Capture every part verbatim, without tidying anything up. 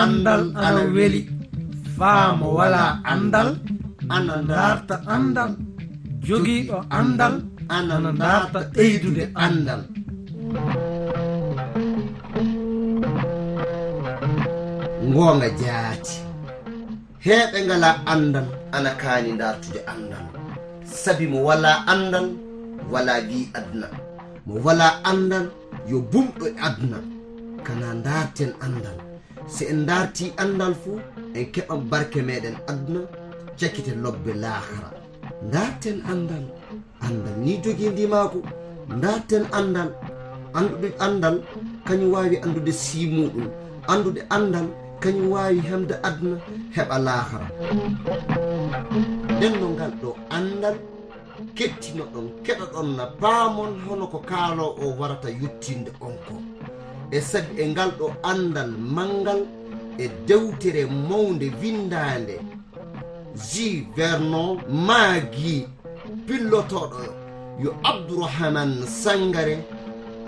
Anndal ana weli. Faa mo walaa anndal ana ndaarta anndal. Jogiiɗo anndal ana ndaarta ɓeydude anndal. Ngoonga jaati. Heeɓe ngalaa anndal ana kaani ndaartude anndal. Sabi mo walaa anndal, walaa gi'i aduna. Mo walaa anndal, yo bumɗo e aduna. Kana ndaarten anndal. Si en ndaartii anndal fu, en keɓan barke meɗen aduna, cakite lobbe laakara. Ndaarten anndal. Anndal ni jogii ndimaagu. Ndaarten anndal. Anndude anndal, kañum waawi anndude sii muuɗum. Anndude anndal, kañum waawi hemde aduna, heɓa laakara. Nden no ngal ɗo anndal, kettinoɗon, keɗoɗon na paamon hono ko kaaloo o warata yottinde on ko. E sabi e ngal ɗo anndal manngal e dewtere mawnde winndaande, J. Vernon Maggi, pillotooɗo yo Abdourahmane Sangare,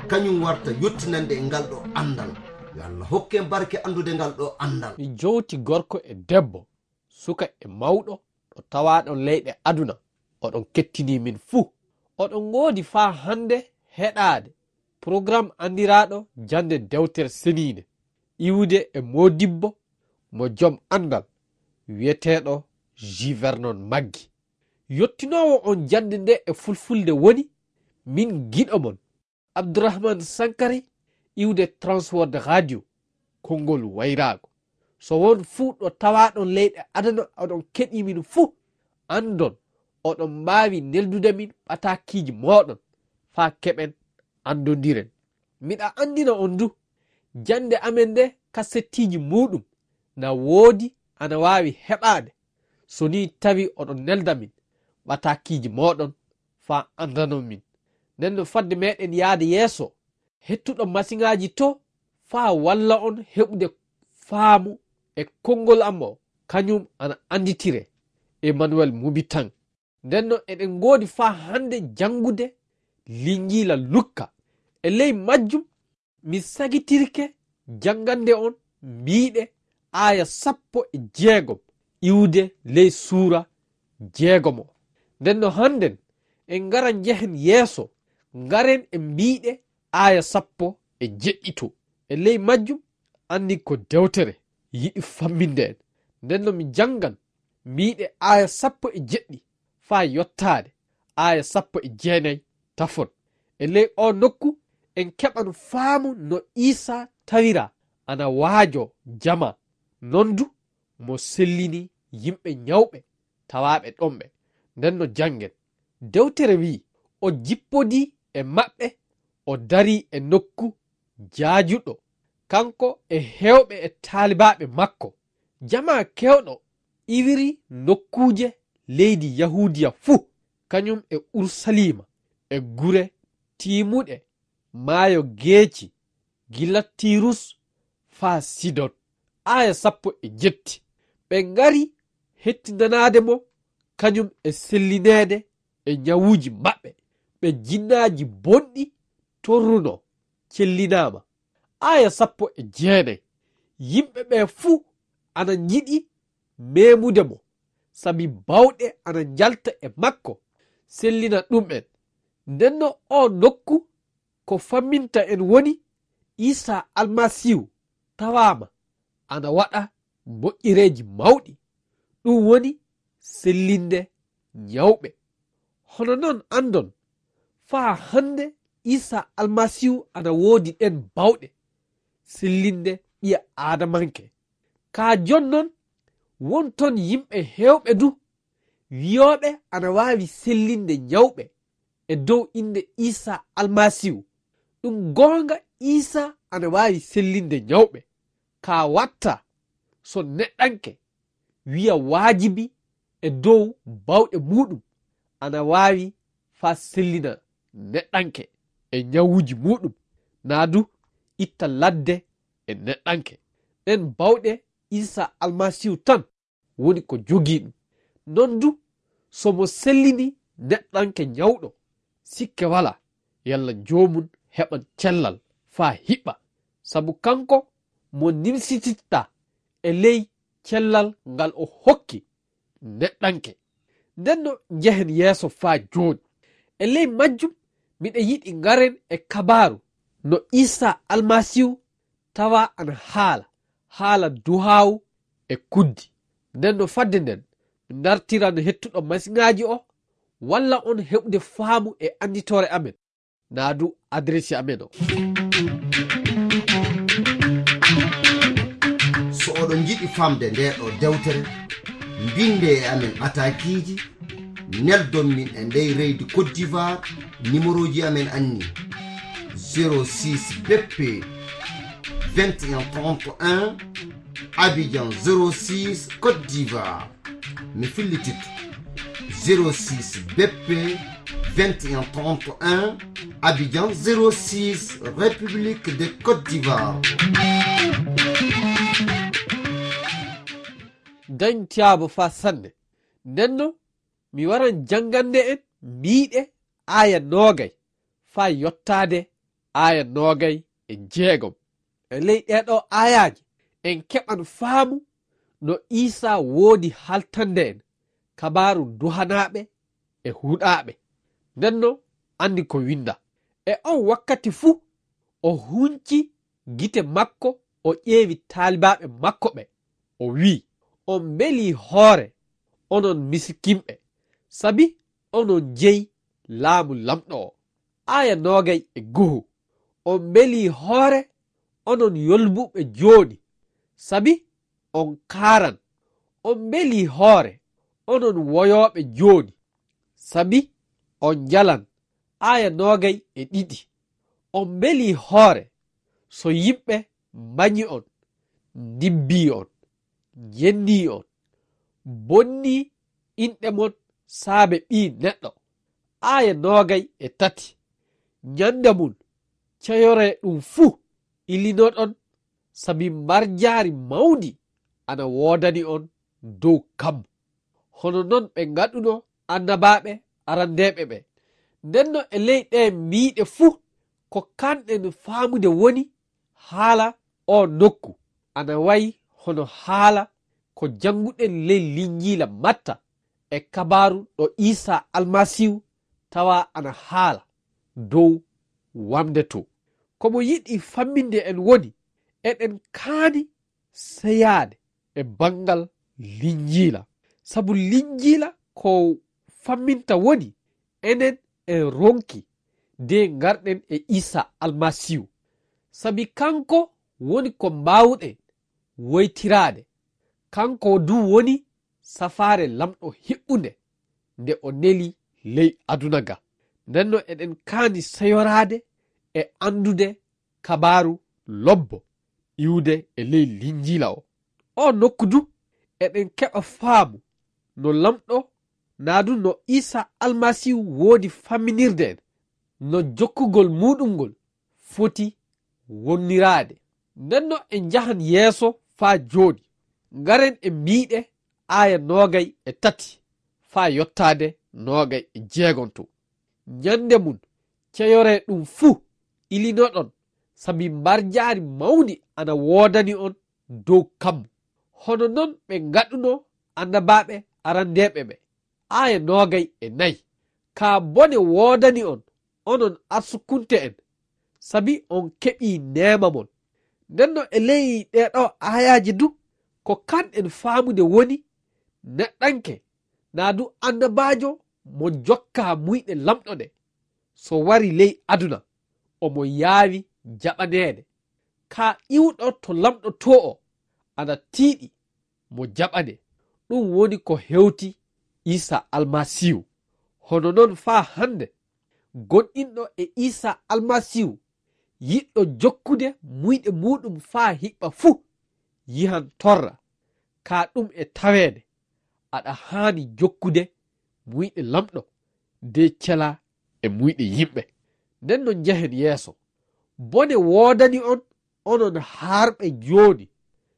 kañum warta yottinande e ngal ɗo anndal. Yo Allah hokken barke anndude ngal ɗo anndal. Mi jowti gorko e debbo, suka e mawɗo, ɗo tawaaɗon leyɗe aduna, oɗon kettini min fuu. Oɗon ngoodi faa hannde heɗaade programme anndiraaɗo jannde dewtere seniinde, iwude e moodibbo mo jom anndal, wiyeteeɗo J. Vernon Maggi. Yottinoowo on jannde nde e fulfulde woni, min giɗo mon, Abdourahmane Sankari, iwde Transworld Radio, konngol wayraago. So won fuu ɗo tawaaɗon leyɗe aduna oɗon keɗii min fuu, anndon, oɗon mbaawi neldude min ɓataakiiji mooɗon faa keɓen anndondiren. Miɗa anndina on du, jannde amen nde kasettiiji muuɗum na woodi ana waawi heɓaade, so nii tawi oɗon nelda min ɓataakiiji mooɗon faa anndanon min. Nden no fadde meɗen yaade yeeso, hettuɗo masiŋaaji to faa walla on heɓude faamu e konngol am o, kañum ana annditire Emmanuel Mubitan. Nden no eɗen ngoodi faa hannde janngude Linjiila Lukka. E ley majjum, mi sagitirke janngande on mbiiɗe aaya sappo e jeegom iwde ley suura jeegom o. Nden no hannden en ngara njehen yeeso, ngaren e mbiiɗe aaya sappo e jeɗɗi to. E ley majjum anni ko dewtere yiɗi famminde en. Nden no mi janngan mbiiɗe aaya sappo e jeɗɗi faa yottaade aaya sappo e jeenay tafon. E ley oo nokku en keɓan faamu no Iisaa tawiraa ana waajoo jamaa. Non du mo sellini yimɓe nyawɓe tawaaɓe ɗon ɓe. Nden no janngen. Dewtere wi'i, o jippodii e maɓɓe, o darii e nokku jaajuɗo, kanko e heewɓe e taalibaaɓe makko. Jamaa keewɗo iwiri nokkuuje leydi Yahuudiya fuu, kañum e Urusaliima, e gure tiimuɗe maayo geeci, gila Tirus faa Sidon. Aaya sappo e jetti. Ɓe ngari hettindanaade mo, kañum e sellineede e nyawuuji maɓɓe. Ɓe jinnaaji bonɗi torruno, cellinaama. Aaya sappo e jeenay. Yimɓe ɓe fuu ana njiɗi meemude mo, sabi bawɗe ana njalta e makko, sellina ɗum'en. Ndenno oo nokku ko famminta en woni Iisaa Almasiihu tawaama ana waɗa moƴƴereeji mawɗi, ɗum woni sellinde nyawɓe. Hono non anndon, faa hannde Iisaa Almasiihu ana woodi ɗeen bawɗe sellinde ɓiya Aadamanke. Kaa jonnon, won ton yimɓe heewɓe du wiyooɓe ana waawi sellinde nyawɓe e dow innde Iisaa Almasiihu. Ɗum goonga, Iisaa ana waawi sellinde nyawɓe. Kaa watta so neɗɗanke wiya waajibi e dow bawɗe muuɗum ana waawi faa sellina neɗɗanke e nyawuuji muuɗum, naa du itta ladde e neɗɗanke. Ɗeen bawɗe Iisaa Almasiihu tan woni ko jogii ɗum. Non du, so mo sellini neɗɗanke nyawɗo, sikke walaa, yalla joomum heɓan cellal faa hiɓɓa. Sabu kanko mo nimsititta e ley cellal ngal o hokki neɗɗanke. Nden no njehen yeeso faa jooni. E ley majjum, miɗa yiɗi ngaren e kabaaru no Iisaa Almasiihu tawa ana haala, haala duhaawu e kuddi. Nden no fadde nden, mi ndartiran hettuɗo masiŋaaji o, walla on heɓude faamu e annditoore amen, naa du adresi amen o. So oɗon njiɗi famde nde ɗo dewtere, mbinde e amen atakiiji, neldon min e ndey reydi Côte d'Ivoire, numerooji amen anni: zéro six B P vingt et un trente et un, Abidjan zéro six, Côte d'Ivoire. Mi fillititto: zéro six B P vingt et un trente et un, Abidjan zéro six, République de Côte d'Ivoire. Dañ tiyaaba faa sanne. Nden no mi waran janngande en miiɗe aaya noogay faa yottaade aaya noogay e jeegom. E ley ɗee ɗoo aayaaji, en keɓan faamu no Iisaa woodi haltande en kabaaru duhanaaɓe e huɗaaɓe. Nden no anndi ko winnda. E on wakkati fuu, o hunci gite makko, o ƴeewi taalibaaɓe makko ɓe, o wi'i: On mbelii hoore, onon misikinɓe, sabi onon jeyi laamu Lamɗo o. Aaya noogay e goho. On mbelii hoore, onon yolbuɓe jooni, sabi on kaaran. On mbelii hoore, onon woyooɓe jooni, sabi on njalan. Aaya noogay e ɗiɗi. On mbelii hoore, so yimɓe mbañi on, ndibbii on, njennii on, bonnii inɗe mon saabe Ɓii Neɗɗo. Aaya noogay e tati. Ñande mum, ceyoree ɗum fuu, ilinoɗon, sabi mbarjaari mawndi ana woodani on dow kammu. Hono non ɓe ngaɗuno annabaaɓe arandeeɓe ɓe. Nden no e ley ɗee miiɗe fuu, ko kanɗen faamude woni haala oo nokku ana wayi hono haala ko jannguɗen ley Linjiila Matta e kabaaru ɗo Iisaa Almasiihu tawa ana haala dow wamde to. Ko mo yiɗi famminde en woni, eɗen kaani seyaade e banngal Linjiila. Sabu Linjiila ko famminta woni enen en ronki de ngarɗen e Iisaa Almasiihu. Sabi kanko woni ko mbaawuɗen woytiraade. Kanko du woni safaare Lamɗo hiɓɓunde nde o neli ley aduna ga. Nden no eɗen kaani seyoraade e anndude kabaaru lobbo iwde e ley Linjiila o. O nokku du eɗen keɓa faamu no Lamɗo naa du no Iisaa Almasiihu woodi famminirde en, no jokkugol muuɗum ngol foti wonniraade. Nden no en njahan yeeso faa jooni, ngaren e miiɗe aaya noogay e tati faa yottaade noogay e jeegonto. Ñande mum, ceyoree ɗum fuu, ilinoɗon, sabi mbarjaari mawndi ana woodani on dow kammu. Hono non ɓe ngaɗuno annabaaɓe arandeeɓe ɓe. Aaya noogay e nayi. Kaa bone woodani on, onon arsukunte en, sabi on keɓii neema mon. Nden no e ley ɗee ɗoo aayaaji du, ko kanɗen faamude woni neɗɗanke, naa du annabaajo mo jokkaa muyɗe Lamɗo ɗe, so wari ley aduna, omo yaawi jaɓaneede. Kaa iwɗo to Lamɗo too o, ana tiiɗi mo jaɓane. Ɗum woni ko hewti Iisaa Almasiihu. Hono non faa hannde, gonɗinɗo e Iisaa Almasiihu, yiɗɗo jokkude muyɗe muuɗum faa hiɓɓa fuu, yihan torra. Kaa ɗum e taweede, aɗa haani jokkude muyɗe Lamɗo, de celaa e muyɗe yimɓe. Nden no njehen yeeso. Bone woodani on, onon haarɓe jooni,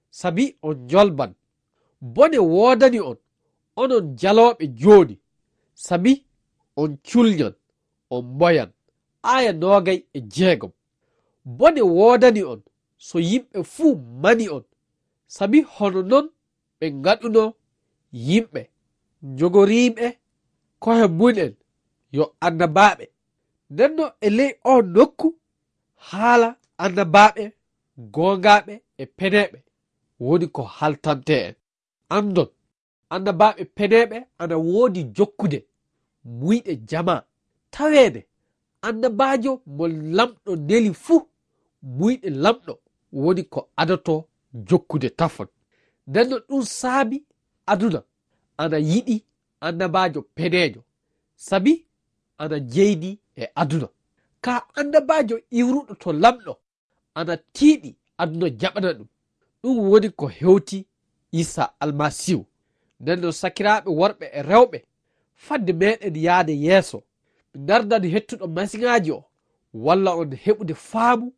sabi on njolban. Bone woodani on, onon jalooɓe jooni, sabi on culñan, on mboyan. Aaya noogay e jeegom. Bone woodani on, so yimɓe fuu mani on, Sabi hono non ɓe ngaɗuno yimɓe, njogoriiɓe ko'e mum en yo annabaaɓe. Nden non e ley oo nokku, haala annabaaɓe goongaaɓe e peneeɓe woni ko haltante en. Anndon, annabaaɓe peneeɓe ana woodi jokkude muyɗe jamaa. Taweede, annabaajo mo Laamɗo neli fuu, muyɗe Laamɗo woni ko adotoo jokkude tafon. Nden non ɗum saabi aduna ana yiɗi annabaajo peneejo, sabi ana jeydi e aduna. Kaa annabaajo iwruɗo to Laamɗo ana tiiɗi aduna jaɓana ɗum. Ɗum woni ko hewti Iisaa Almasiihu. Nden non sakiraaɓe worɓe e rewɓe, fadde meɗen yaade yeeso, mi ndardan hettuɗo masiŋaaji o, walla on heɓude faamu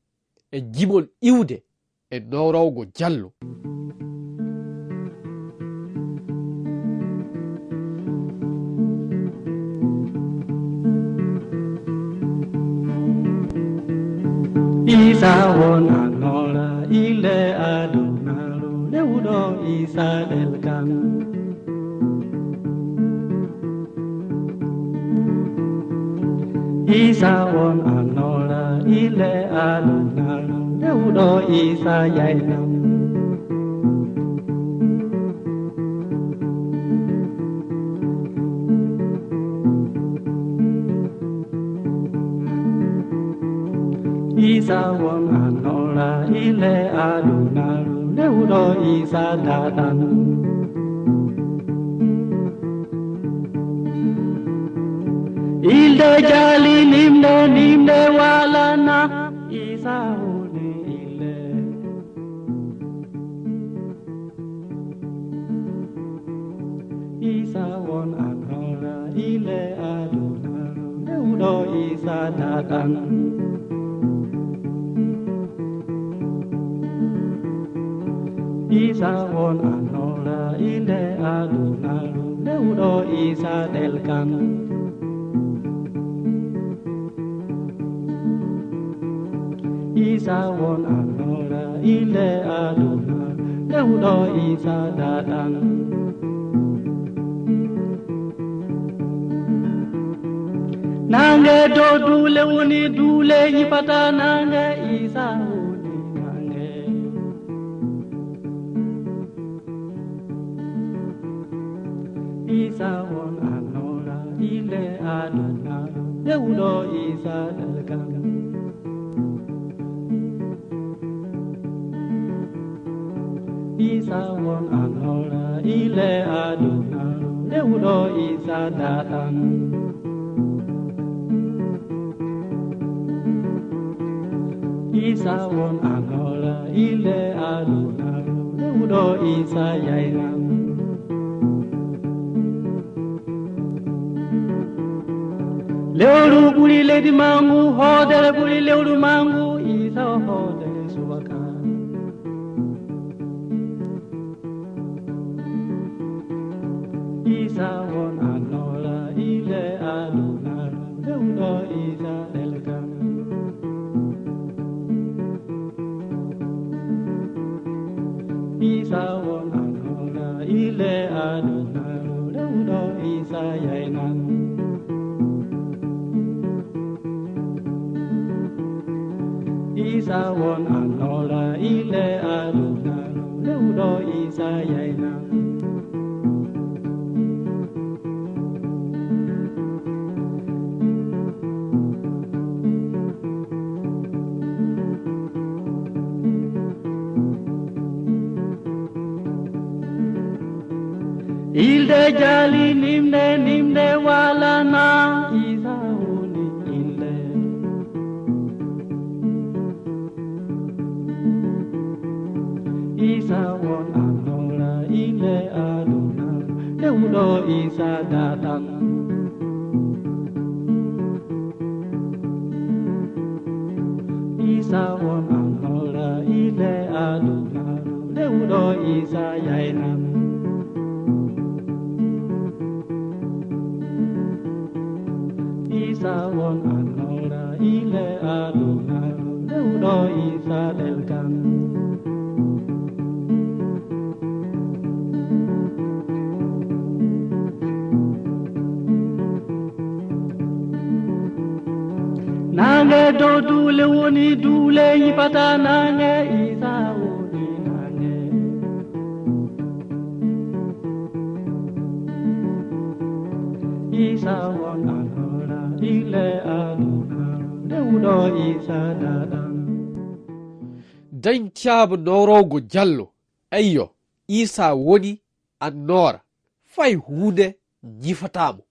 e jimol iwde e nowrowgo jallo. Isa won annoora ile adunaaru, lewɗo Isa ɗelkan. Isa won annoora ile adunaaru, lewɗo Isa yaynan. Isa won annoora ile adunaaru, lewɗo Isa daɗan. Ilde jali nimde, nimde walana, Isa woni ile. Isa won annoora ile adunaaru, lewɗo Isa daɗan. Isa won annoora ile adunaaru, lewɗo Isa ɗelkan. Isa won annoora ile aduna, lewɗo Isa daɗan. Nange dow duule woni duule yipata nange, Isa woni nange. Isa won annoora ile aduna, lewɗo Isa ɗelkan. Isa won annoora ile aduna, lewɗo Isa daɗan. Isa won annoora ile aduna, lewɗo Isa yaynan. Lewru ɓuri leydi mangu, hoodere ɓuri lewru mangu, Isa o hoodere subaka. Isa won annoora ile aduna, lewɗo Isa ɗelkan. Isa won annoora ile aduna, lewɗo Isa yaynan. Isa won annoora ile aduna, lewɗo Isa yaynan. Ilde jali nimde, nimde walana, Isa woni ilde. Isa won annoora ile aduna, lewɗo Isa daɗan. Isa won annoora ile aduna, lewɗo Isa yaynan. Isa won annoora ile aduna, lewɗo Isa ɗelkan. Naange dow duule woni duule yifata naange, Iisa woni naange. Iisa won annoora, ile aduna, dewɗo Iisa daɗan. Dañ caabu nowrowgo jallo, eyyo, Iisa woni annoora, fay huunde ñifataa mo.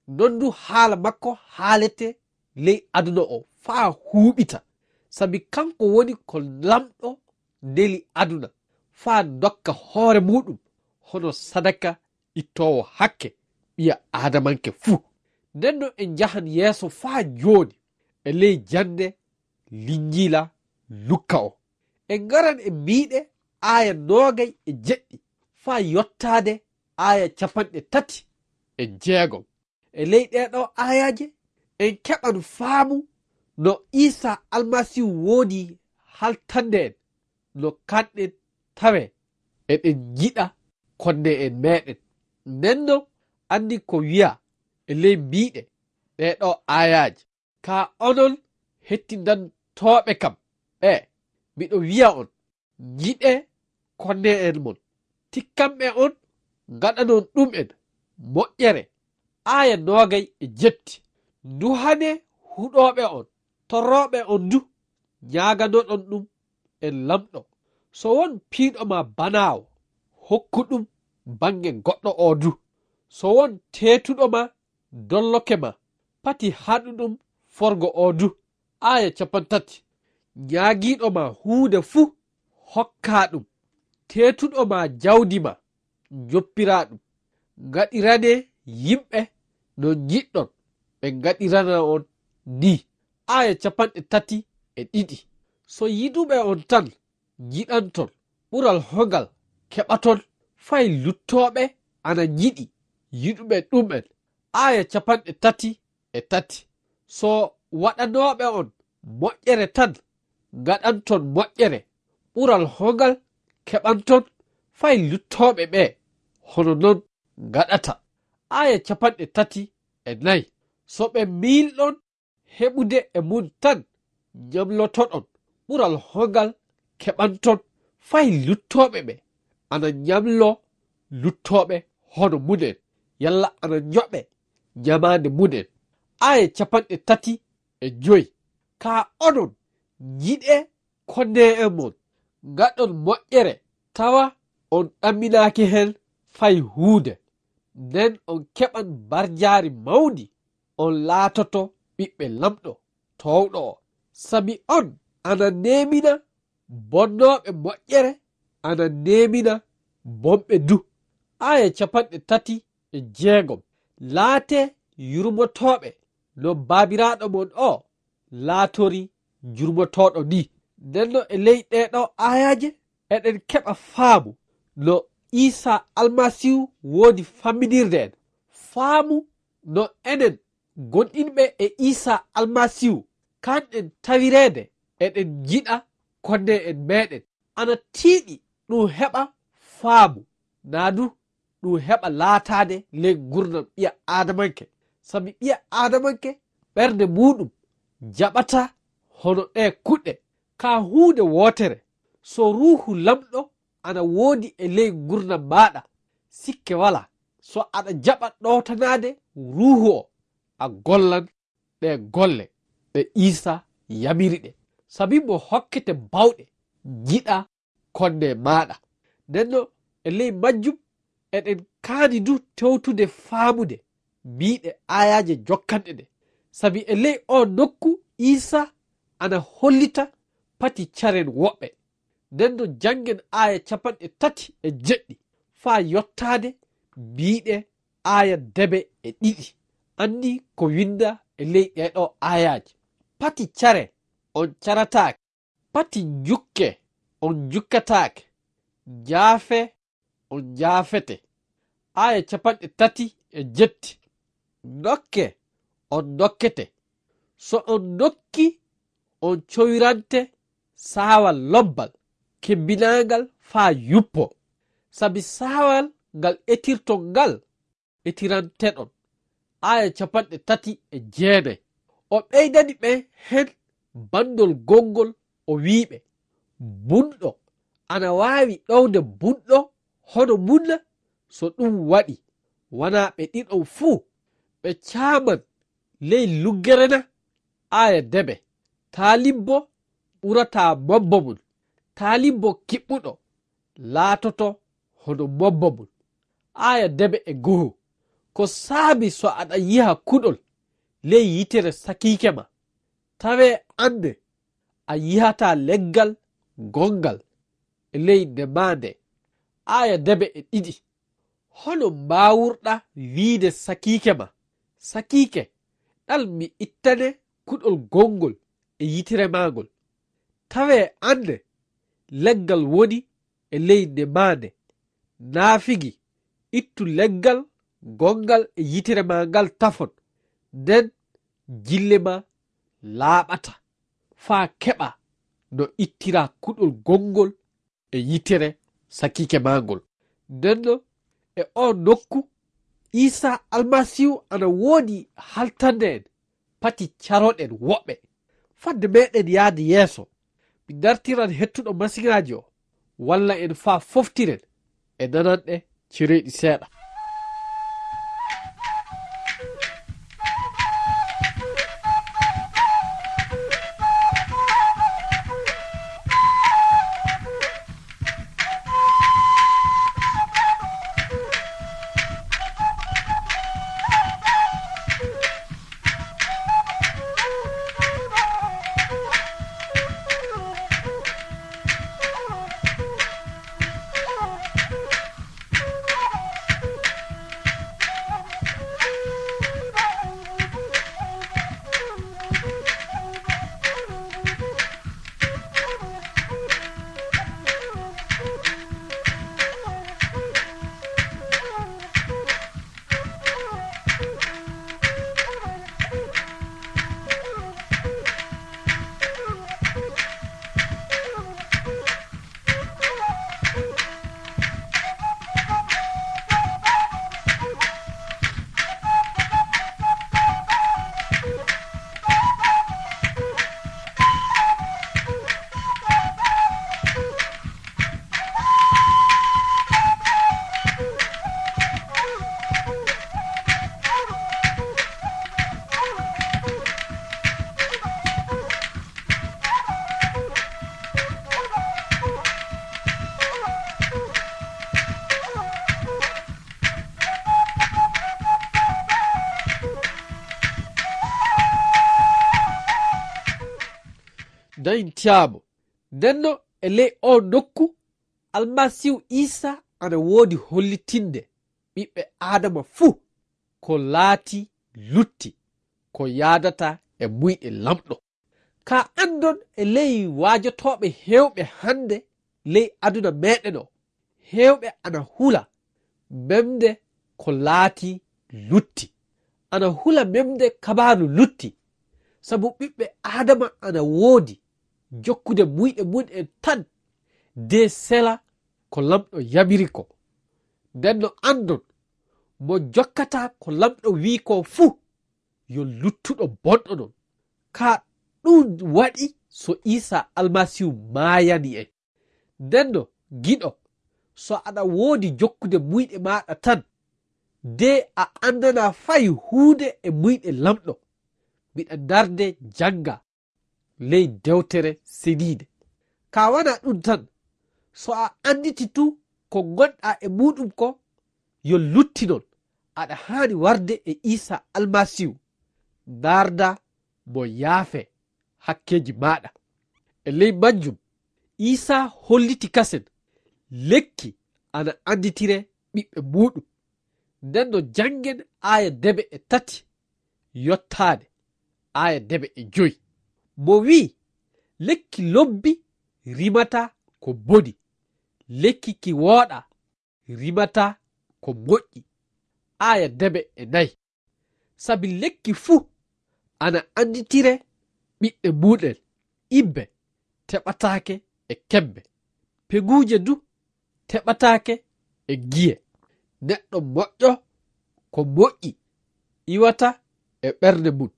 Non du haala makko haalete ley aduna o faa huuɓita, sabi kanko woni ko lamɗo neli aduna, faa dokka hoore muuɗum hono sadaka ittoowo hakke ɓiya aadamanke fuu. Nden no en njahan yeeso faa jooni e ley jannde Linjiila Lukka o. En ngaran e miiɗe aaya noogay e jeɗɗi faa yottaade aaya capanɗe tati e jeegom. E ley ɗee ɗoo aayaaje, en keɓan faamu no Iisa Almasiihu woodi haltande en, no kanɗen tawee eɗen njiɗa konne'en meeɗen. Nden no anndi ko wi'aa e ley miiɗe ɗee ɗoo aayaaje. Kaa onon hettindantooɓe kam ɓee, miɗo wi'a on, njiɗee konne'en mon, tikkanɓe on, ngaɗanon ɗum'en moƴƴere. Aaya noogay e jetti. Nduhanee huɗooɓe on, torrooɓe on du, ñaaganoɗon ɗum e Lamɗo. So won piiɗo ma banaawo, hokku ɗum bannge goɗɗo oo du. So won teetuɗo ma dolloke ma, pati haɗu ɗum forgo oo du. Aaya capantati. Ñaagiiɗo ma huunde fuu, hokkaa ɗum. Teetuɗo ma jawdi ma, njoppiraa ɗum. Ngaɗiranee yimɓe no njiɗɗon ɓe ngaɗirana on nii. Aaya capanɗe tati e ɗiɗi. So yiɗuɓe on tan njiɗanton, ɓural hongal keɓaton fay luttooɓe ana njiɗi yiɗuɓe ɗum'en? Aaya capanɗe tati e tati. So waɗanooɓe on moƴƴere tan ngaɗanton moƴƴere, ɓural hongal keɓanton fay luttooɓe ɓee hono non ngaɗata? Aaya capanɗe tati e nayi. So ɓe miilɗon heɓude e mun tan ñamlotoɗon, ɓural hongal keɓanton fay luttooɓe ɓe ana ñamlo luttooɓe hono munen, yalla ana ñoɓe ñamaande munen? Aaya capanɗe tati e joy. Kaa onon njiɗee konne'en mon, ngaɗon moƴƴere, tawa on ɗamminaaki hen fay huunde. Nden on keɓan mbarjaari mawndi, on laatoto ɓiɓɓe Lamɗo toowɗo o. Sabi on ana neemina bonnooɓe moƴƴere, ana neemina bonɓe du. Aaya capanɗe tati e jeegom. Laatee yurmotooɓe no Baabiraaɗo mon o laatori jurmotooɗo nii. Nden no e ley ɗee ɗoo aayaaje, eɗen keɓa faamu no Iisaa Almasiihu woodi famminirde en. Faamu no enen gonɗinɓe e Iisaa Almasiihu, kanɗen tawireede eɗen njiɗa konne'en meeɗen. Ana tiiɗi ɗum heɓa faamu, naa du ɗum heɓa laataade ley ngurndan ɓiya aadamanke. Sabi ɓiya aadamanke ɓernde muuɗum jaɓataa hono ɗee kuɗɗe. Kaa huunde wootere, so Ruuhu Lamɗo ana woodi e ley ngurndan maaɗa, sikke walaa, so aɗa jaɓa ɗowtanaade Ruuhu o, a gollan ɗee golle ɗe Iisaa yamiri ɗe. Sabi mo hokkete baawɗe, njiɗa konne maaɗa. Nden no e ley majjum, eɗen kaani du tewtude faamude miiɗe aayaaje jokkanɗe ɗe. Sabi e ley oo nokku Iisaa ana hollita pati caren woɓɓe. Nden no janngen aaya capanɗe tati e jeɗɗi faa yottaade miiɗe aaya debe e ɗiɗi. Anndi ko winnda e ley ɗee ɗoo aayaaje. Pati care, on carataake. Pati njukke, on njukkataake. Njaafe, on njaafete. Aaya capanɗe tati e jetti. Ndokke, on ndokkete. So on ndokki, on cowirante saawal lobbal, kebbinaangal faa yuppoo. Sabi saawal ngal etirton ngal, etiranteɗon. Aaya capanɗe tati e jeenay. O ɓeydani ɓe hen bandol gonngol, o wi'i ɓe, "Bunɗo ana waawi ɗowde bunɗo hono mun na? So ɗum waɗi, wanaa ɓe ɗiɗon fuu ɓe caaman ley luggere na?" Aaya debe, "Taalibbo ɓurataa mobbo mun, taalibbo kiɓɓuɗo laatoto hono mobbo mun." Aaya debe e goho, "Ko saabi so aɗa yiha kuɗol ley yitere sakiike ma, tawee annde a yihataa leggal gonngal e ley nemaande?" Aaya debe e ɗiɗi, "Hono mbaawurɗa wiide sakiike ma, sakiike, ɗal mi ittane kuɗol gonngol e yitere maagol? Tawee annde leggal woni e ley nemaande, naafigi ittu leggal gonngal e yitere maa ngal tafon, nden gille maa laaɓata, faa keɓa no ittira kuɗol gonngol e yitere sakiike maa ngol." Nden non e oo nokku, Iisaa Almasiihu ana woodi haltande en, pati caroɗen woɓɓe. Fadde meɗen yaade yeeso, mi dartiran hettuɗo masiŋaaji o, walla en faa foftiren e nananɗe cereeɗi seeɗa. Dañcaamo. Ndenno e ley oo nokku, Almasiihu Iisaa ana woodi hollitinde ɓiɓɓe Aadama fuu ko laati lutti, ko yaadata e muyɗe Laamɗo. Ka anndon e ley waajotooɓe heewɓe hannde ley aduna meɗen o, heewɓe ana hula memde ko laati lutti. Ana hula memde kabaaru lutti, sabu ɓiɓɓe Aadama ana woodi jokkude muyɗe mum en tan, de sela ko Laamɗo yamiri ko. Ndenno anndon, mo jokkataa ko Laamɗo wi'i ko fuu, yo luttuɗo bonɗo non. Ka ɗum waɗi so Iisaa Almasiihu maayani en. Ndenno, giɗo, so aɗa woodi jokkude muyɗe maaɗa tan, de a anndanaa fay huunde e muyɗe Laamɗo, miɗa ndaarde jannga ley Dewtere Seniinde. Ka wanaa ɗum tan, so a annditi tu ko ngonɗaa e muuɗum ko, yo luttinon, aɗa haani warde e Iisaa Almasiihu, ndaarda mo yaafee hakkeeji maaɗa. E ley majjum, Iisaa holliti kasen lekki ana annditire ɓiɓɓe muuɗum. Ndenno janngen aaya debe e tati yottaade aaya debe e joy. Mo wi'i, "Lekki lobbi rimata ko boni, lekki ki wooɗa rimata ko moƴƴi." Aaya debe e nayi. Sabi lekki fuu ana annditire ɓiɓɓe muuɗen, ibbe teɓataake e kebbe, peguuje du teɓataake e giye. Neɗɗo moƴƴo ko moƴƴi iwata e ɓernde mum,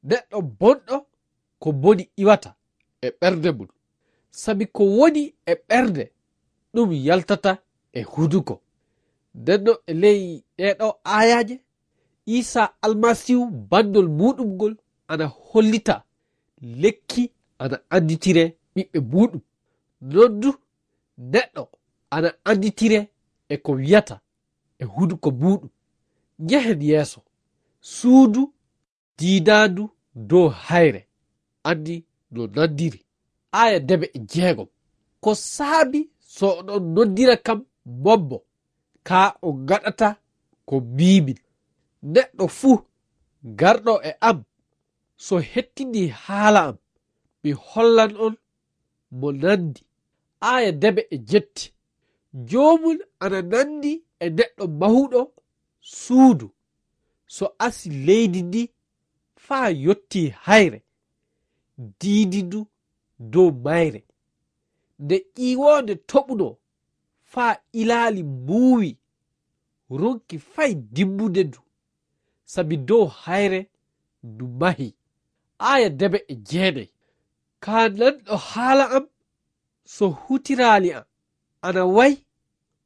Neɗɗo bonɗo ko boni iwata e ɓernde mum. Sabi ko woni e ɓernde, ɗum yaltata e hunuko. Nden non e ley ɗee ɗoo aayaaje, Iisaa Almasiihu banndol muuɗum ngol ana hollita lekki ana annditire ɓiɓɓe muuɗum. Non du, neɗɗo ana annditire e ko wiyata e hunuko muuɗum. Njehen yeeso. Suudu diidaandu dow hayre, anndi no nanndiri. Aaya debe e jeegom. Ko saabi so oɗon nonndira kam mombo, kaa on ngaɗata ko mbiimin. Neɗɗo fuu garɗo e am, so hettinii haala am, mi hollan on mo nanndi. Aaya debe e jetti. Joomum ana nanndi e neɗɗo mahuɗo suudu, so asi leydi ndi faa yottii hayre, diidi ndu dow mayre. Nde ƴiiwoonde toɓunoo faa ilaali muuwi, ronki fay dimbude ndu, sabi dow hayre ndu mahii. Aaya debe e jeenay. Kaa nanɗo haala am, so hutiraali am, ana wayi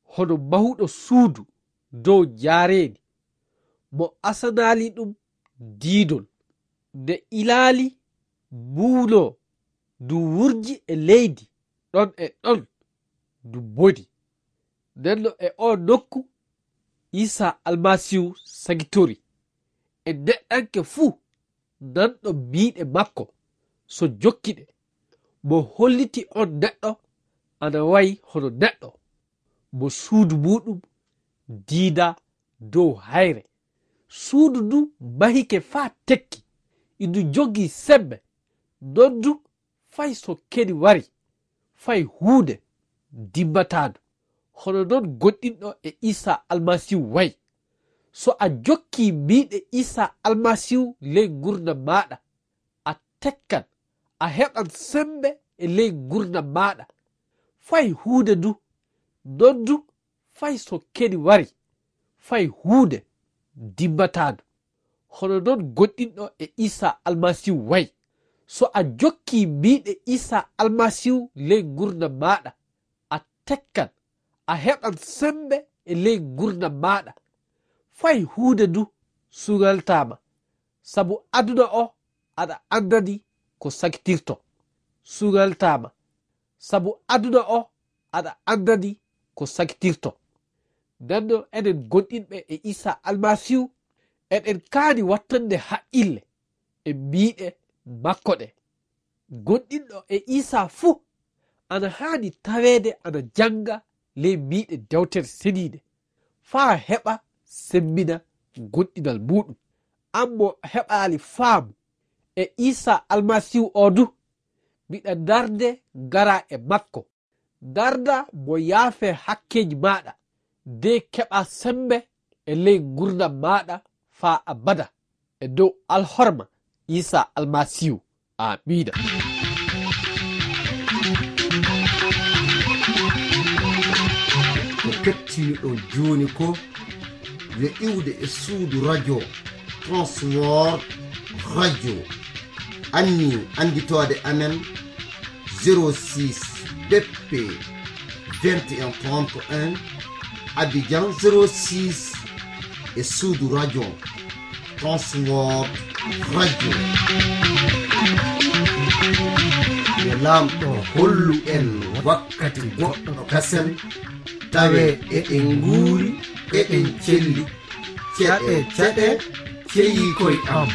hono mahuɗo suudu dow njaareendi, mo asanaali ɗum diidol. Nde ilaali muuwnoo, ndu wurji e leydi, ɗon e ɗon ndu boni. Nden non e oo nokku, Iisaa Almasiihu sagitori. E neɗɗanke fuu nanɗo miiɗe makko, so jokki ɗe, mo holliti on neɗɗo ana wayi hono neɗɗo, mo suudu muuɗum diidaa dow hayre. Suudu ndu mahike faa tekki, indu jogii semmbe, non du fay so keni wari, fay huunde dimmataano. Hono non goonɗinɗo e Iisaa Almasiihu wayi. So a jokkii miiɗe Iisaa Almasiihu ley ngurndan maaɗa, a tekkan, a heɓan semmbe e ley ngurndan maaɗa. Fay huunde du, non du fay so keni wari, fay huunde dimmataano. Hono non goonɗinɗo e Iisaa Almasiihu wayi. So a jokkii miiɗe Iisaa Almasiihu ley ngurndan maaɗa, a tekkan, a heɓan semmbe e ley ngurndan maaɗa. Fay huunde du suŋaltaa ma, sabu aduna o aɗa anndani ko sakitirtoo. Suŋaltaa ma, sabu aduna o aɗa anndani ko sakitirtoo. Nden non enen goonɗinɓe e Iisaa Almasiihu, eɗen kaani wattande haqqille e miiɗe makko ɗe. Goonɗinɗo e Iisaa fuu ana haani taweede ana jannga ley miiɗe Dewtere Seniinde, faa heɓa semmbina goonɗinal muuɗum. An mo heɓaali faamu e Iisaa Almasiihu o du, miɗa darnde ngaraa e makko. Darndaa mo yaafee hakkeeji maaɗa, de keɓaa semmbe e ley ngurndan maaɗa faa abada, e dow alhorma Iisaa Almasiihu. Aamiina. Ko kettiniɗon jooni ko yo iwde e suudu radio Transworld Radio. Anni annditoode amen zéro six B P vingt et un trente et un, Abidjan zéro six, e suudu radio Transworld Radio. Yo Laamɗo hollu en wakkati goɗɗo kasen, tawe eɗen nguuri, eɗen celli. Ceɗe, ceɗe, ceyi koy am.